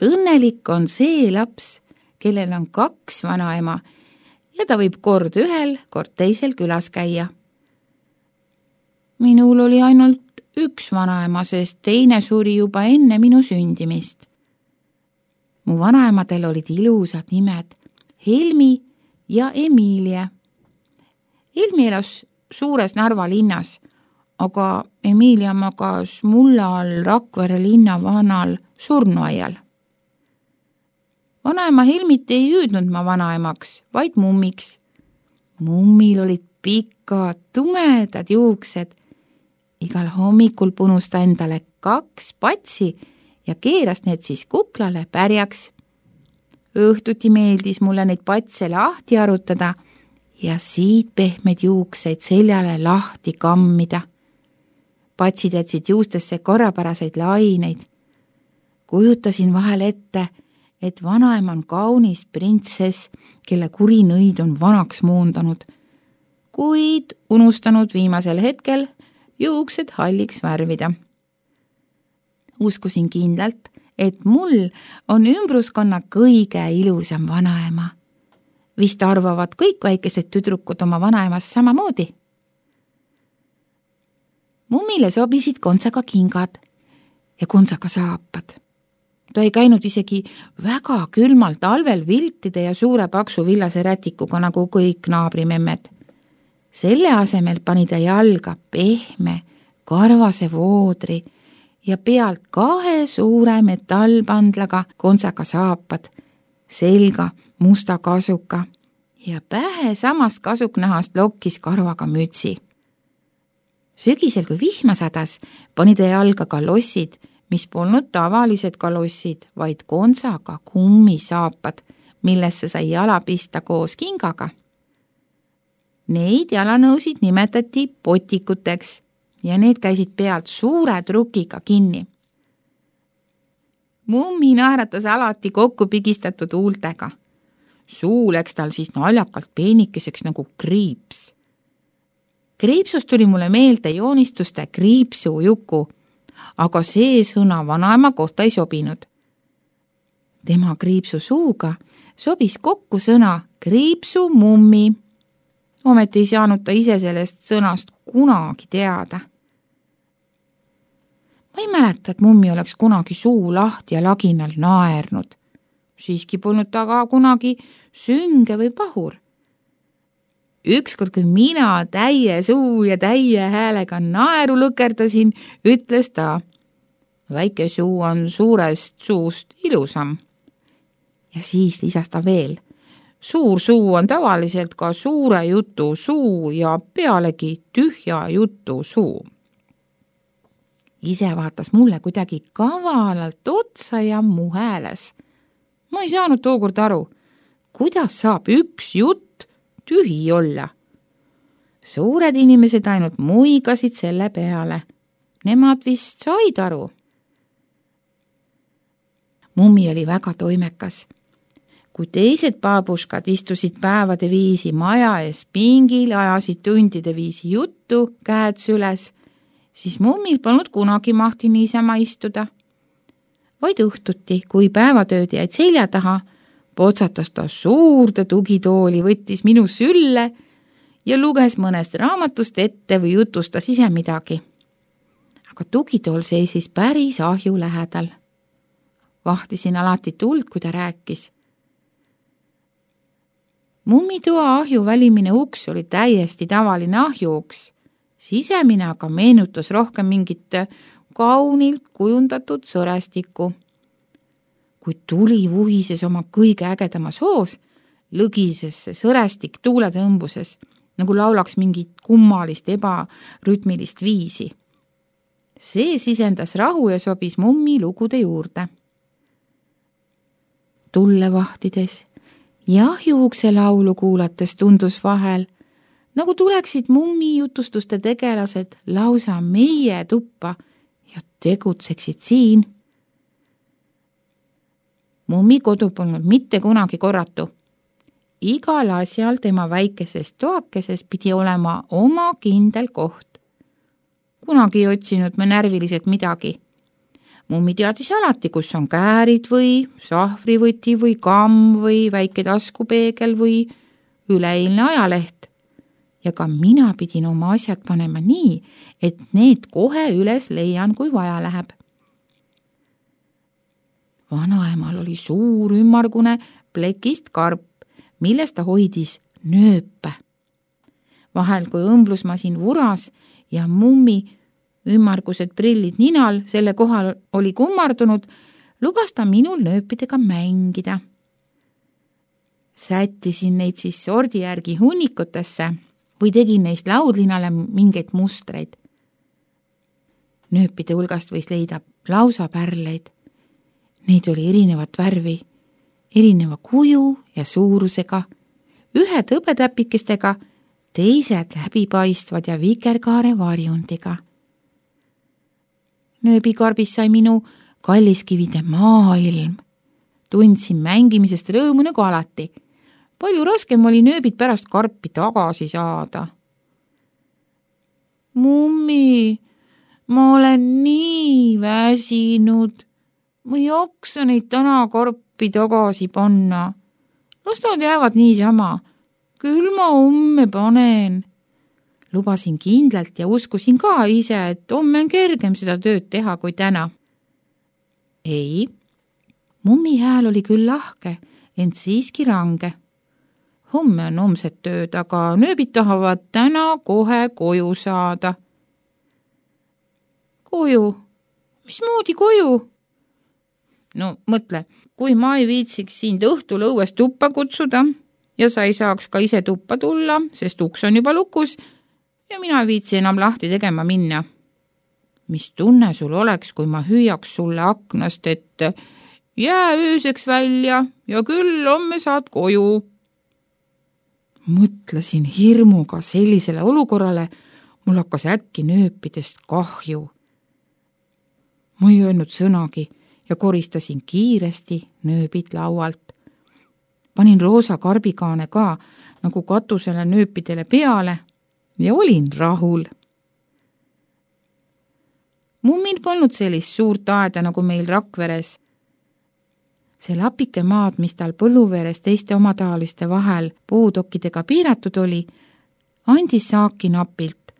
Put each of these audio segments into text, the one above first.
Õnnelik on see laps, kellel on 2 vanaema ja ta võib kord ühel, kord teisel külas käia. Minul oli ainult 1 vanaema, sest teine suri juba enne minu sündimist. Mu vanaemadel olid ilusad nimed Helmi ja Emilia. Helmi elas suures Narva linnas, aga Emilia magas mulla all Rakvere linna vanal surnuaial. Vanaema Helmit ei hüüdnud ma vanaemaks, vaid mummiks. Mummil olid pikad, tumedad juuksed. Igal hommikul punus ta endale 2 patsi ja keeras need siis kuklale pärjaks. Õhtuti meeldis mulle neid patse lahti arutada ja siit pehmed juukseid seljale lahti kammida. Patsid jätsid juustesse korrapäraseid laineid. Kujutasin vahel ette, et vanaema on kaunis printsess, kelle kuri nõid on vanaks muundanud, kuid unustanud viimasel hetkel juuksed halliks värvida. Uskusin kindlalt, et mul on ümbruskonna kõige ilusam vanaema. Vist arvavad kõik väikesed tüdrukud oma vanaemast samamoodi. Mummile sobisid kontsaga kingad ja kontsaga saapad. Ta ei käinud isegi väga külmal talvel viltide ja suure paksu villase rätikuga nagu kõik naabrimemmed. Selle asemel pani ta jalga pehme, karvase voodri ja pealt 2 suure metallpandlaga kontsaga saapad, selga musta kasuka ja pähe samast kasuknahast lokkis karvaga mütsi. Sügisel, kui vihma sadas, pani ta jalga kalossid, mis polnud tavalised kalossid, vaid kontsaga kummisaapad, millesse sai jala pista koos kingaga. Neid jalanõusid nimetati potikuteks ja need käisid pealt suure trukiga kinni. Mummi naeratas alati kokku pigistatud huultega. Suu läks tal siis naljakalt peenikeseks nagu kriips. Kriipsust tuli mulle meelde joonistuste kriipsujuku, aga see sõna vanaema kohta ei sobinud. Tema kriipsu suuga sobis kokku sõna kriipsumummi. Ometi ei saanud ta ise sellest sõnast kunagi teada. Ma ei mäleta, et mummi oleks kunagi suu lahti ja laginal naernud. Siiski polnud ta ka kunagi sünge või pahur. Ükskord, kui mina täie suu ja täie häälega naeru lõkerdasin, ütles ta, väike suu on suurest suust ilusam. Ja siis lisas ta veel, suur suu on tavaliselt ka suure jutu suu ja pealegi tühja jutu suu. Ise vaatas mulle kuidagi kavalalt otsa ja mu hääles. Ma ei saanud tookord aru, kuidas saab üks jutt tühi olla. Suured inimesed ainult muigasid selle peale. Nemad vist said aru. Mummi oli väga toimekas. Kui teised baabuškad istusid päevade viisi maja ees pingil, ajasid tundide viisi juttu, käed süles, siis mummil polnud kunagi mahti niisama istuda. Vaid õhtuti, kui päevatööd jäid selja taha, potsatas ta suurde tugitooli, võttis minu sülle ja luges mõnest raamatust ette või jutustas ise midagi. Aga tugitool seisis päris ahju lähedal. Vahtisin alati tuld, kui ta rääkis. Mummitoa ahju välimine uks oli täiesti tavaline ahjuuks. Sisemine aga meenutas rohkem mingit kaunilt kujundatud sõrestikku. Kui tuli vuhises oma kõige ägedamas hoos, lõgises see sõrestik tuuletõmbuses, nagu laulaks mingit kummalist ebarütmilist viisi. See sisendas rahu ja sobis mummi lugude juurde. Tulle vahtides ja ahjuukse laulu kuulates tundus vahel, nagu tuleksid mummi jutustuste tegelased lausa meie tuppa ja tegutseksid siin. Mummi kodu polnud mitte kunagi korratu. Igal asjal tema väikeses toakeses pidi olema oma kindel koht. Kunagi ei otsinud me närviliselt midagi. Mummi teadis alati, kus on käärid või sahvrivõti või kamm või väike taskupeegel või üleeilne ajaleht. Ja ka mina pidin oma asjad panema nii, et need kohe üles leian, kui vaja läheb. Vanaemal oli suur ümmargune plekist karp, milles ta hoidis nööpe. Vahel, kui õmblusmasin vuras ja mummi ümmargused prillid ninal selle kohal oli kummardunud, lubas ta minul nööpidega mängida. Sättisin neid siis sordi järgi hunnikutesse või tegin neist laudlinale mingeid mustreid. Nööpide hulgast võis leida lausa pärleid. Neid oli erinevat värvi, erineva kuju ja suurusega, ühed hõbetäpikestega, teised läbipaistvad ja vikerkaare varjundiga. Nööbikarbis sai minu kalliskivide maailm. Tundsin mängimisest rõõmu nagu alati. Palju raskem oli nööbid pärast karpi tagasi saada. Mummi, ma olen nii väsinud. Ma ei jaksa neid täna karpi tagasi panna. Las nad jäävad niisama. Küll ma homme panen. Lubasin kindlalt ja uskusin ka ise, et homme on kergem seda tööd teha kui täna. Ei, mummi hääl oli küll lahke, ent siiski range. Homme on homset tööd, aga nööbid tahavad täna kohe koju saada. Koju? Mismoodi koju? No mõtle, kui ma ei viitsiks sind õhtul õues tuppa kutsuda ja sa ei saaks ka ise tuppa tulla, sest uks on juba lukus ja mina ei viitsi enam lahti tegema minna. Mis tunne sul oleks, kui ma hüüaks sulle aknast, et jää ööseks välja ja küll homme saad koju? Mõtlesin hirmuga sellisele olukorrale, mul hakkas äkki nööpidest kahju. Ma ei öelnud sõnagi ja koristasin kiiresti nööbid laualt. Panin roosa karbikaane ka nagu katusele nööpidele peale ja olin rahul. Mummil polnud sellist suurt aeda nagu meil Rakveres. See lapike maad, mis tal põlluveres teiste omataoliste vahel puudokkidega piiratud oli, andis saaki napilt,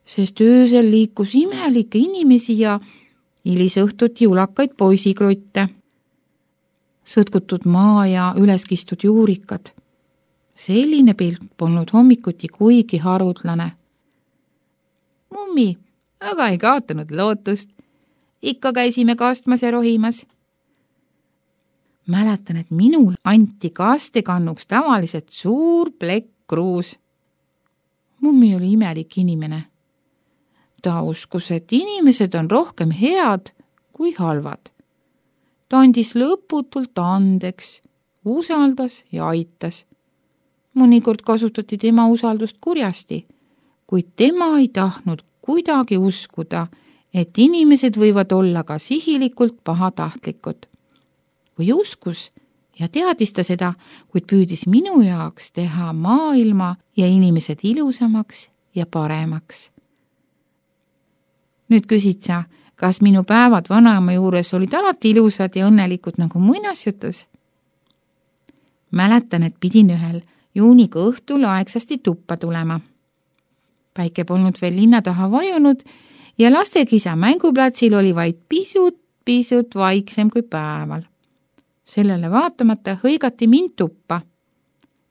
sest öösel liikus imelikke inimesi ja hilisõhtuti ulakaid poisikrutte, sõtkutud maa ja üleskistud juurikad. Selline pilt polnud hommikuti kuigi harutlane. Mummi, aga ei kaotanud lootust. Ikka käisime kastmas ja rohimas. Mäletan, et minul anti kastekannuks tavaliselt suur plekk kruus. Mummi oli imelik inimene. Ta uskus, et inimesed on rohkem head kui halvad. Ta andis lõputult andeks, usaldas ja aitas. Mõnikord kasutati tema usaldust kurjasti, kuid tema ei tahtnud kuidagi uskuda, et inimesed võivad olla ka sihilikult pahatahtlikud. Või uskus ja teadis ta seda, kuid püüdis minu jaoks teha maailma ja inimesed ilusamaks ja paremaks. Nüüd küsid sa, kas minu päevad vanaema juures olid alati ilusad ja õnnelikud nagu muinasjutus? Mäletan, et pidin ühel juuniga õhtul aegsasti tuppa tulema. Päike polnud veel linna taha vajunud ja lastekisa mänguplatsil oli vaid pisut vaiksem kui päeval. Sellele vaatamata hõigati mind tuppa.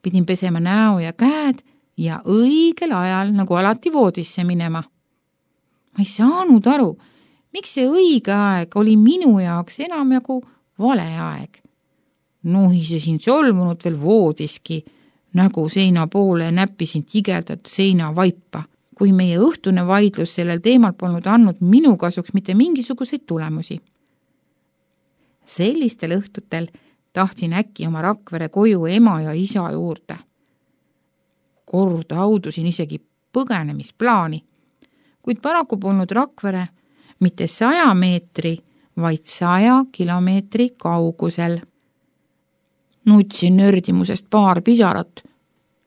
Pidin pesema näo ja käed ja õigel ajal nagu alati voodisse minema. Ma ei saanud aru, miks see õige aeg oli minu jaoks enamjagu vale aeg. Nuhisesin solvunud veel voodiski, nägu seina poole näppisin tigedat seinavaipa, kui meie õhtune vaidlus sellel teemal polnud andnud minu kasuks mitte mingisuguseid tulemusi. Sellistel õhtutel tahtsin äkki oma Rakvere koju ema ja isa juurde. Kord audusin isegi põgenemisplaani, kuid paraku polnud Rakvere mitte 100 meetri, vaid 100 kilomeetri kaugusel. Nutsin nördimusest paar pisarat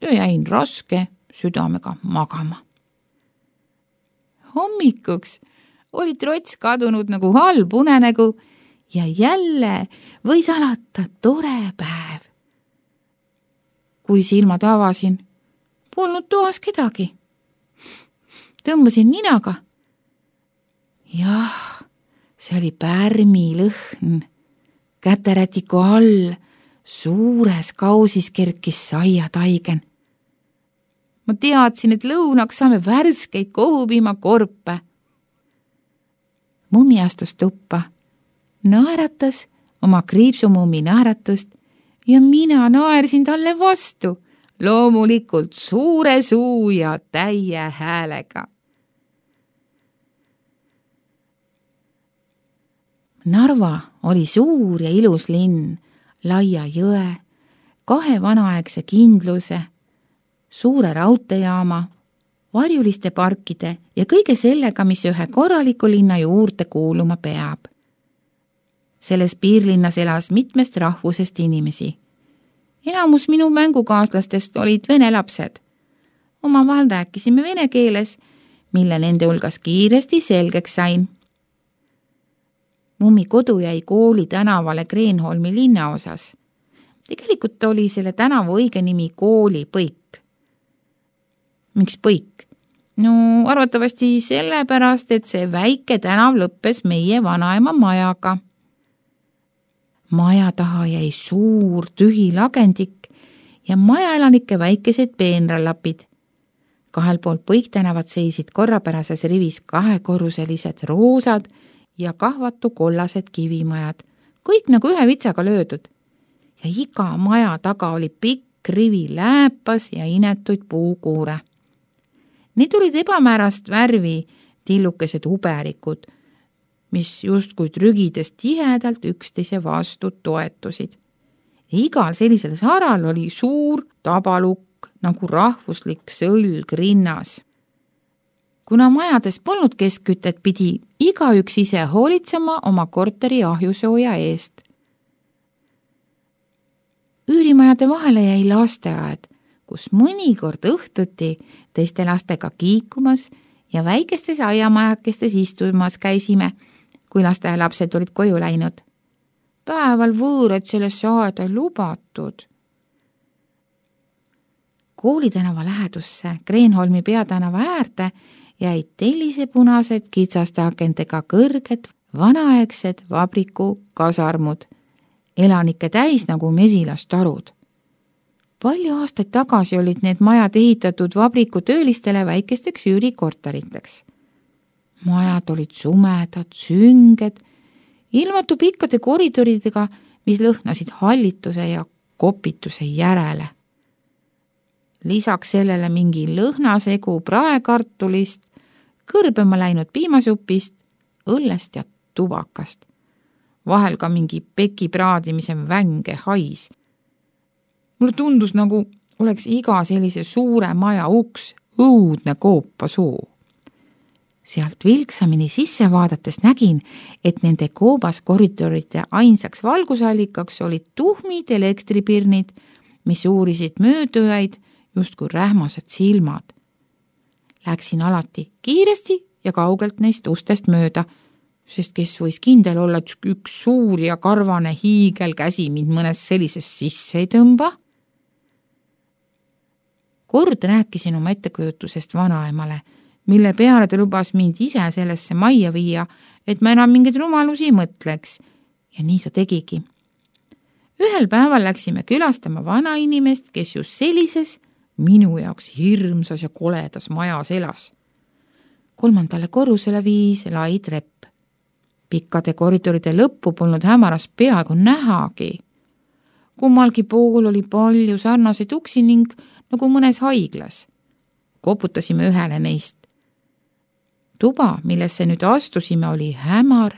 ja jäin raske südamega magama. Hommikuks oli trots kadunud nagu halb unenägu ja jälle võis alata tore päev. Kui silmad avasin, polnud toas kedagi. Tõmbasin ninaga. Jah, see oli pärmilõhn. Käterätiku all suures kausis kerkis saiataigen. Ma teadsin, et lõunaks saame värskeid kohupiimakorpe. Mummi astus tuppa, naeratas oma kriipsumummi naeratust ja mina naersin talle vastu, loomulikult suure suu ja täie häälega. Narva oli suur ja ilus linn, laia jõe, 2 vanaaegse kindluse, suure raudteejaama, varjuliste parkide ja kõige sellega, mis ühe korraliku linna juurde kuuluma peab. Selles piirlinnas elas mitmest rahvusest inimesi. Enamus minu mängukaaslastest olid vene lapsed. Omavahel rääkisime vene keeles, mille nende hulgas kiiresti selgeks sain. Mummi kodu jäi kooli tänavale Kreenholmi linnaosas. Tegelikult oli selle tänava õige nimi Kooli Põik. Miks Põik? No arvatavasti sellepärast, et see väike tänav lõppes meie vanaema majaga. Maja taha jäi suur tühi lagendik ja majaelanike väikesed peenralapid. 2 pool Põik tänavat seisid korrapärases rivis 2-korruselised roosad ja kahvatu kollased kivimajad, kõik nagu ühe vitsaga löödud. Ja iga maja taga oli pikk rivi lääpas ja inetuid puukuure. Need olid ebamäärast värvi tillukesed uberikud, mis justkui trügides tihedalt üksteise vastu toetusid. Igal sellisel saral oli suur tabalukk nagu rahvuslik sõlg rinnas. Kuna majades polnud keskkütet, pidi igaüks ise hoolitsema oma korteri ahjusooja eest. Üürimajade vahele jäi lasteaed, kus mõnikord õhtuti teiste lastega kiikumas ja väikestes aiamajakestes istumas käisime, kui lasteaialapsed olid koju läinud. Päeval võõrad sellesse aeda ei lubatud. Koolitänava lähedusse Kreenholmi peatänava äärde jäid tellisepunased kitsaste akentega kõrged vanaaegsed vabriku kasarmud, elanike täis nagu mesilastarud. Palju aastaid tagasi olid need majad ehitatud vabriku töölistele väikesteks üürikorteriteks. Majad olid sumedad, sünged, ilmatu pikkade koridoridega, mis lõhnasid hallituse ja kopituse järele. Lisaks sellele mingi lõhnasegu praekartulist, kõrbema läinud piimasupist, õllest ja tubakast. Vahel ka mingi peki praadimise vänge hais. Mulle tundus, nagu oleks iga sellise suure maja uks õudne koopasuu. Sealt vilksamini sisse vaadates nägin, et nende koobas koridoride ainsaks valgusallikaks olid tuhmid elektripirnid, mis uurisid möödujaid justkui rähmased silmad. Läksin alati kiiresti ja kaugelt neist ustest mööda, sest kes võis kindel olla, et üks suur ja karvane hiigelkäsi mind mõnes sellises sisse ei tõmba. Kord rääkisin oma ettekujutusest vanaemale, mille peale ta lubas mind ise sellesse majja viia, et ma enam mingeid rumalusi mõtleks. Ja nii ta tegigi. Ühel päeval läksime külastama vanainimest, kes just sellises minu jaoks hirmsas ja koledas majas elas. 3. korrusele viis lai trepp. Pikkade koridoride lõppu polnud hämaras peaaegu nähagi. Kummalgi pool oli palju sarnaseid uksi ning nagu mõnes haiglas. Koputasime ühele neist. Tuba, millesse nüüd astusime, oli hämar,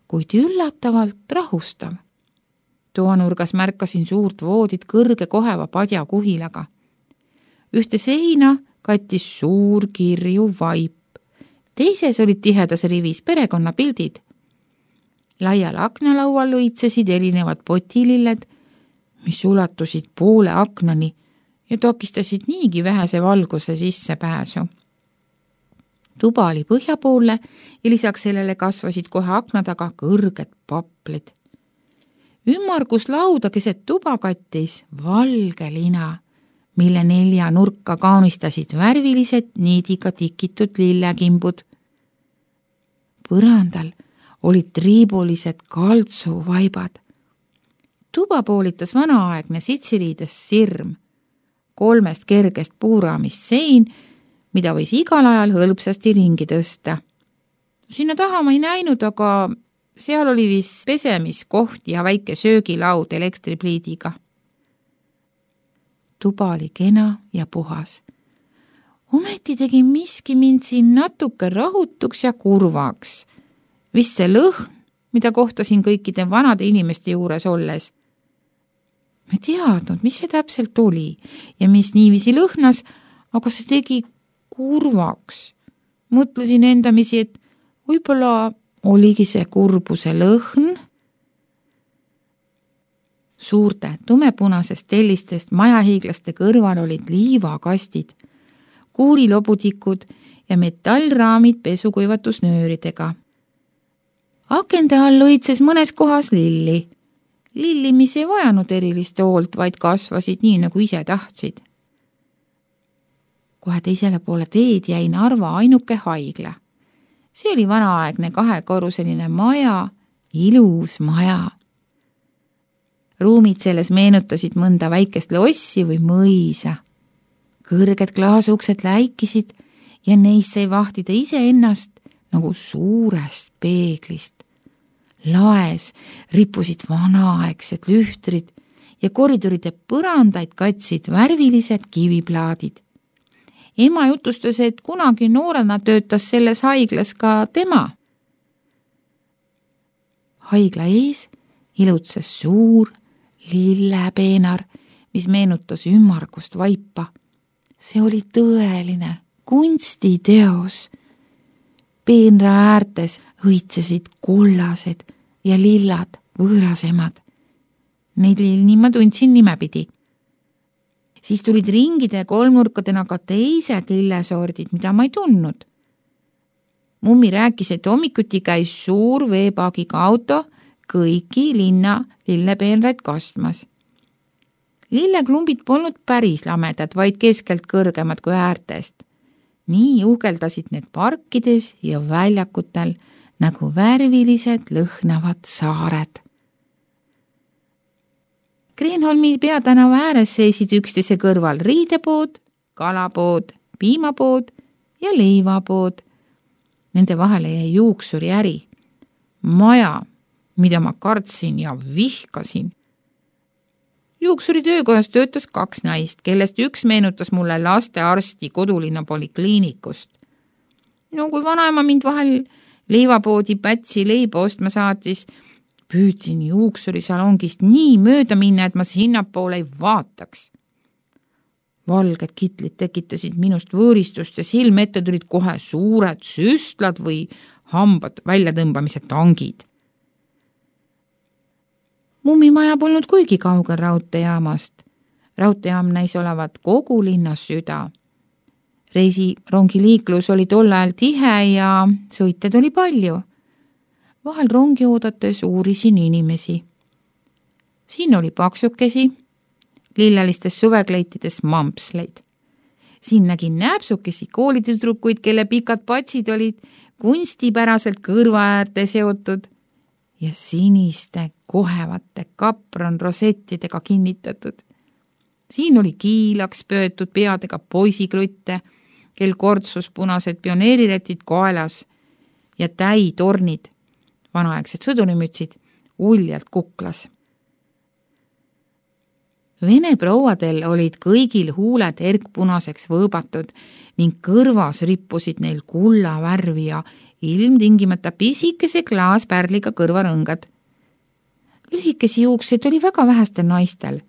kuid üllatavalt rahustav. Toanurgas märkasin suurt voodit kõrge koheva padja kuhilaga. Ühte seina kattis suur kirju vaip. Teises olid tihedas rivis perekonnapildid. Laial aknalaual lõitsesid erinevad potililled, mis ulatusid poole aknani ja takistasid niigi vähese valguse sissepääsu. tuba oli põhjapoolne ja lisaks sellele kasvasid kohe akna taga kõrged paplid. Ümmarguslauda keset tuba kattis valge lina, mille 4 nurka kaunistasid värvilised niidiga tikitud lillekimbud. Põrandal olid triibulised kaltsuvaibad. Tuba poolitas vanaaegne sitsiriides sirm, 3 kergest puuraamist sein, mida võis igal ajal hõlpsasti ringi tõsta. Sinna taha ma ei näinud, aga seal oli vist pesemiskoht ja väike söögilaud elektripliidiga. Tuba oli kena ja puhas. Ometi tegi miski mind siin natuke rahutuks ja kurvaks. Vist see lõhn, mida kohtasin kõikide vanade inimeste juures olles. Ma teadnud, mis see täpselt oli ja mis niiviisi lõhnas, aga see tegi kurvaks. Mõtlesin endamisi, et võib-olla oligi see kurbuse lõhn. Suurte tumepunasest tellistest majahiiglaste kõrval olid liivakastid, kuurilobutikud ja metallraamid pesukuivatusnööridega. Akende all õitses mõnes kohas lilli. Lilli, mis ei vajanud erilist hoolt, vaid kasvasid nii, nagu ise tahtsid. Kohe teisele poole teed jäi Narva ainuke haigla. See oli vanaaegne 2-korruseline maja, ilus maja. Ruumid selles meenutasid mõnda väikest lossi või mõisa. Kõrged klaasuksed läikisid ja neis sai vahtida iseennast nagu suurest peeglist. Laes rippusid vanaaegsed lühtrid ja koridoride põrandaid katsid värvilised kiviplaadid. Ema jutustas, et kunagi noorena töötas selles haiglas ka tema. Haigla ees ilutses suur lillepeenar, mis meenutas ümmargust vaipa. See oli tõeline kunstiteos. Peenra äärtes õitsesid kollased ja lillad võõrasemad. Neid lilli ma tundsin nimepidi. Siis tulid ringide ja kolmnurkadena ka teised lillesordid, mida ma ei tundnud. Mummi rääkis, et hommikuti käis suur veepaagiga auto kõiki linna lillepeenraid kastmas. Lilleklumbid polnud päris lamedad, vaid keskelt kõrgemad kui äärtest. Nii uhkeldasid need parkides ja väljakutel nagu värvilised lõhnavad saared. Kreenholmi peatänava ääres seisid üksteise kõrval riidepood, kalapood, piimapood ja leivapood. Nende vahele jäi juuksuri äri. Maja, mida ma kartsin ja vihkasin. Juuksuri töökojas töötas 2 naist, kellest üks meenutas mulle lastearsti kodulinna polikliinikust. No kui vanaema mind vahel leivapoodi Pätsi leiba ostma saatis, püüdsin juuksuri salongist nii mööda minna, et ma sinnapoole ei vaataks. Valged kitlid tekitasid minust võõristust ja silme ette tulid kohe suured süstlad või hambad väljatõmbamise tangid. Mummimaja polnud kuigi kaugel raudteejaamast. Raudteejaam näis olevat kogu linnas süda. Reisirongiliiklus oli tol ajal tihe ja sõitjaid oli palju. Vahel rongi oodates uurisin inimesi. Siin oli paksukesi, lillelistes suvekleitides mampsleid. Siin nägin näpsukesi koolitüdrukuid, kelle pikad patsid olid kunstipäraselt kõrva äärde seotud ja siniste kohevate kapronrosettidega kinnitatud. Siin oli kiilaks pöötud peadega poisiklutte, kel kortsus punased pioneeriretid koelas ja täitornid, vanaaegsed sõdurimütsid, uljalt kuklas. Vene prouadel olid kõigil huuled erkpunaseks võõbatud ning kõrvas rippusid neil kulla värvi ja ilmtingimata pisikese klaaspärliga kõrvarõngad. Lühikesi juukseid oli väga vähestel naistel.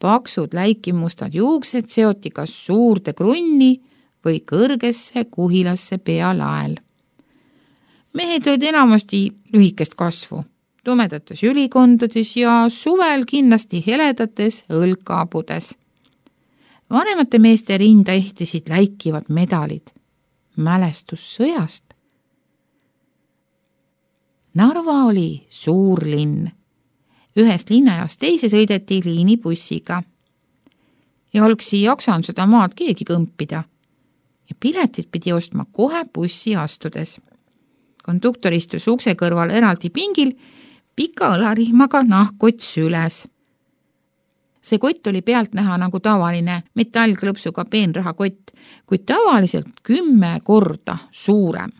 Paksud läikimustad juuksed seoti kas suurde krunni või kõrgesse kuhilasse pealael. Mehed olid enamasti lühikest kasvu, tumedates ülikondades ja suvel kindlasti heledates õlkaabudes. Vanemate meeste rinda ehtisid läikivad medalid. mälestus sõjast. Narva oli suur linn. Ühest linnajaost teise sõideti liinibussiga. Ja oleks ei jaksanud seda maad keegi kõmpida. Ja piletid pidi ostma kohe bussi astudes. Konduktor istus ukse kõrval eraldi pingil, pika õlarihmaga nahkkott süles. See kott oli pealt näha nagu tavaline metallklõpsuga peenrahakott, kuid tavaliselt 10 korda suurem.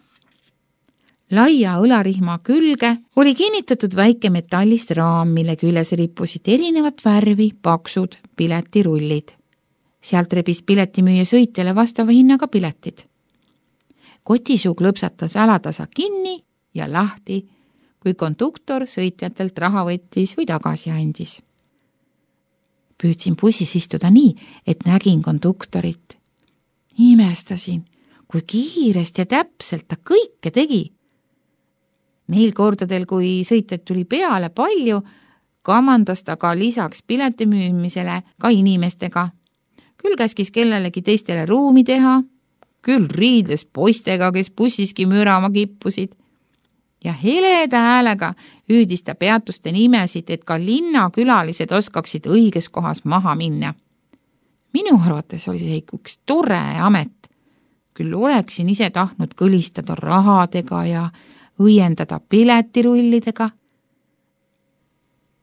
Laia õlarihma külge oli kinnitatud väike metallist raam, mille küljes rippusid erinevat värvi paksud piletirullid. Sealt rebis piletimüüja sõitjale vastava hinnaga piletid. Kotisuu klõpsatas alatasa kinni ja lahti, kui konduktor sõitjatelt raha võttis või tagasi andis. Püüdsin bussis istuda nii, et nägin konduktorit. Imestasin, kui kiiresti ja täpselt ta kõike tegi. Neil kordadel, kui sõitjad tuli peale palju, kamandas ta ka lisaks piletimüümisele ka inimestega. Küll käskis kellelegi teistele ruumi teha, küll riidles poistega, kes bussiski mürama kippusid. Ja heleda häälega hüüdis ta peatuste nimesid, et ka linnakülalised oskaksid õiges kohas maha minna. Minu arvates oli see üks tore amet. Küll oleksin ise tahtnud kõlistada rahadega ja õiendada piletirullidega.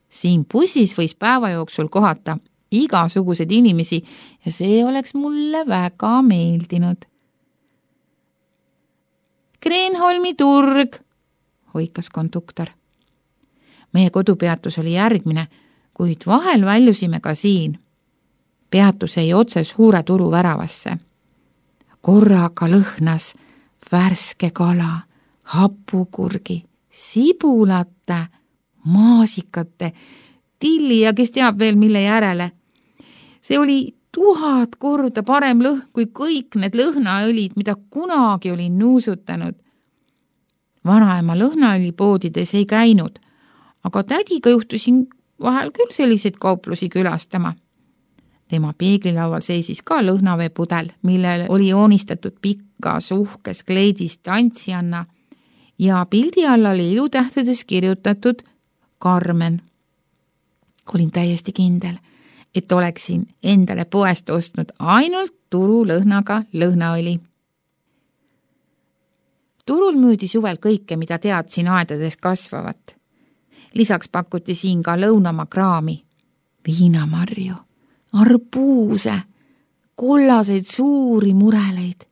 Siin bussis võis päeva jooksul kohata igasuguseid inimesi ja see oleks mulle väga meeldinud. Kreenholmi turg, hoikas konduktor. Meie kodupeatus oli järgmine, kuid vahel väljusime ka siin. Peatus jäi otse suure turu väravasse. Korraga lõhnas värske kala, hapukurgi, sibulate, maasikate, tilli ja kes teab veel mille järele. See oli 1000 korda parem lõhn kui kõik need lõhnaõlid, mida kunagi olin nuusutanud. Vanaema lõhnaõlipoodides ei käinud, aga tädiga juhtusin vahel küll selliseid kauplusi külastama. Tema peeglilaual seisis ka lõhnaveepudel, millel oli joonistatud pikkas uhkes kleidis tantsijanna ja pildi alla oli ilutähtedest kirjutatud Karmen. Olin täiesti kindel, et oleksin endale poest ostnud ainult turulõhnaga lõhnaõli. Turul müüdi suvel kõike, mida teadsin aedades kasvavat. Lisaks pakuti siin ka lõunamakraami, viinamarju, arbuuse, kollaseid suuri mureleid,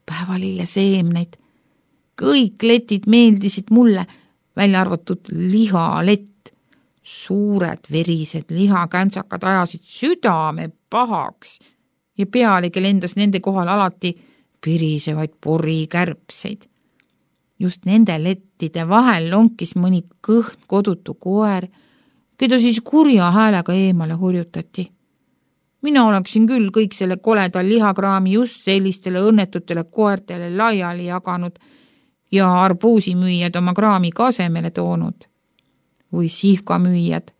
päevalille seemneid. Kõik letid meeldisid mulle, välja arvatud lihalett. Suured verised lihakänsakad ajasid südame pahaks ja pealegi lendas nende kohal alati pirisevaid porikärbseid. Just nende lettide vahel lonkis mõni kõhn kodutu koer, keda siis kurja häälega eemale hurjutati. Mina oleksin küll kõik selle koleda lihakraami just sellistele õnnetutele koertele laiali jaganud ja arbuusimüüjad oma kraami kasemele toonud. Või sihvkamüüjad.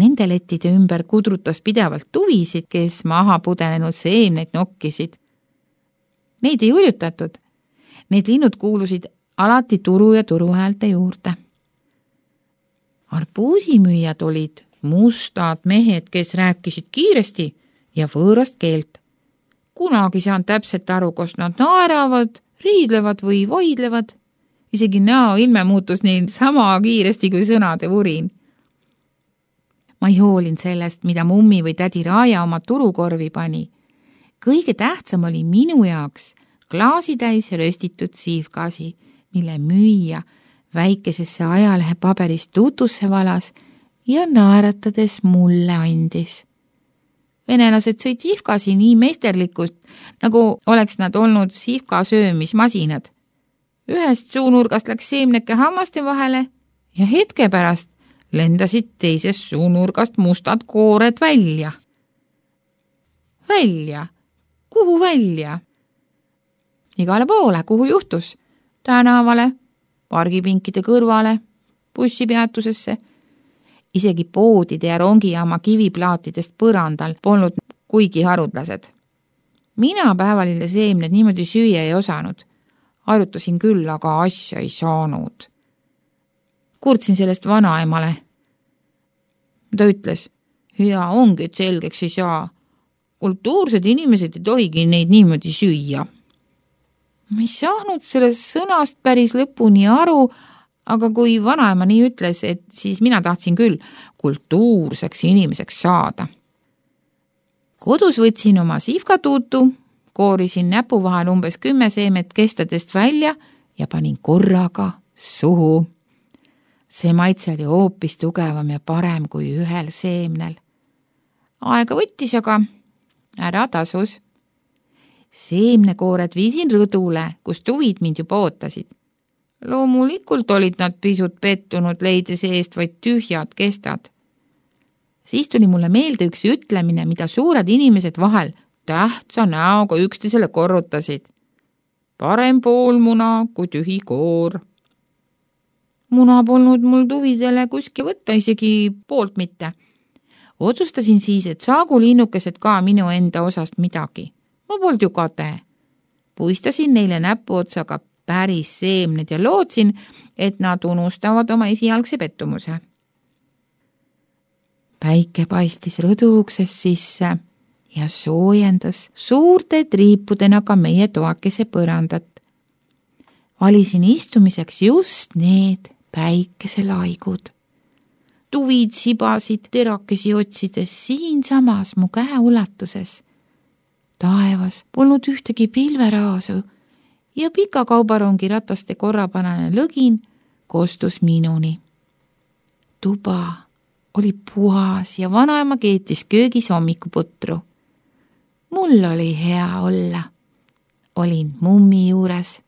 Nende lettide ümber kudrutas pidevalt tuvisid, kes maha pudenenud seemneid nokkisid. Neid ei hurjutatud. Need linnud kuulusid alati turu ja turuhäälte juurde. Arbuusimüüjad olid mustad mehed, kes rääkisid kiiresti ja võõrast keelt. Kunagi saan täpselt aru, kas nad naeravad, riidlevad või vaidlevad. Isegi näo ilme muutus neil sama kiiresti kui sõnade vurin. Ma ei hoolin sellest, mida mummi või tädi Raaja oma turukorvi pani. Kõige tähtsam oli minu jaoks klaasitäis röstitud siivgaasi, mille müüja väikesesse ajalehe paberist tutusse valas ja naeratades mulle andis. Venelased sõid siivgaasi nii meisterlikult, nagu oleks nad olnud siivga söömismasinad. Ühest suunurgast läks seemneke hammaste vahele ja hetke pärast lendasid teisest suunurgast mustad koored välja. Välja? Kuhu välja? Igale poole, kuhu juhtus? Tänavale, pargipinkide kõrvale, bussipeatusesse. Isegi poodide ja rongijaama kiviplaatidest põrandal polnud kuigi harudlased. Mina päevalille seemned niimoodi süüa ei osanud. Arutasin küll, aga asja ei saanud. Kurtsin sellest vanaemale. Ta ütles, hea ongi, et selgeks ei saa. Kultuursed inimesed ei tohigi neid niimoodi süüa. Ma ei saanud sellest sõnast päris lõpuni aru, aga kui vanaema nii ütles, et siis mina tahtsin küll kultuurseks inimeseks saada. Kodus võtsin oma sihvkatuutu, koorisin näpu vahel umbes 10 seemet kestadest välja ja panin korraga suhu. See maitse oli hoopis tugevam ja parem kui ühel seemnel. Aega võttis, aga ära tasus. Seemnekoored viisin rõdule, kus tuvid mind juba ootasid. Loomulikult olid nad pisut pettunud, leides eest vaid tühjad kestad. Siis tuli mulle meelde üks ütlemine, mida suured inimesed vahel tähtsa näoga üksteisele korrutasid. Parem pool muna kui tühi koor. Muna polnud mul tuvidele kuski võtta, isegi poolt mitte. Otsustasin siis, et saagu linnukesed ka minu enda osast midagi. Ma polnud ju kade. Puistasin neile näpuotsaga päris seemned ja lootsin, et nad unustavad oma esialgse pettumuse. Päike paistis rõduuksest sisse ja soojendas suurte triipudena ka meie toakese põrandat. Valisin istumiseks just need päikeselaigud. Tuvid sibasid terakesi otsides siinsamas mu käe ulatuses. Taevas polnud ühtegi pilveraasu ja pika kaubarongi rataste korrapanane lõgin kostus minuni. Tuba oli puhas ja vanaema keetis köögis hommikuputru. Mul oli hea olla. Olin mummi juures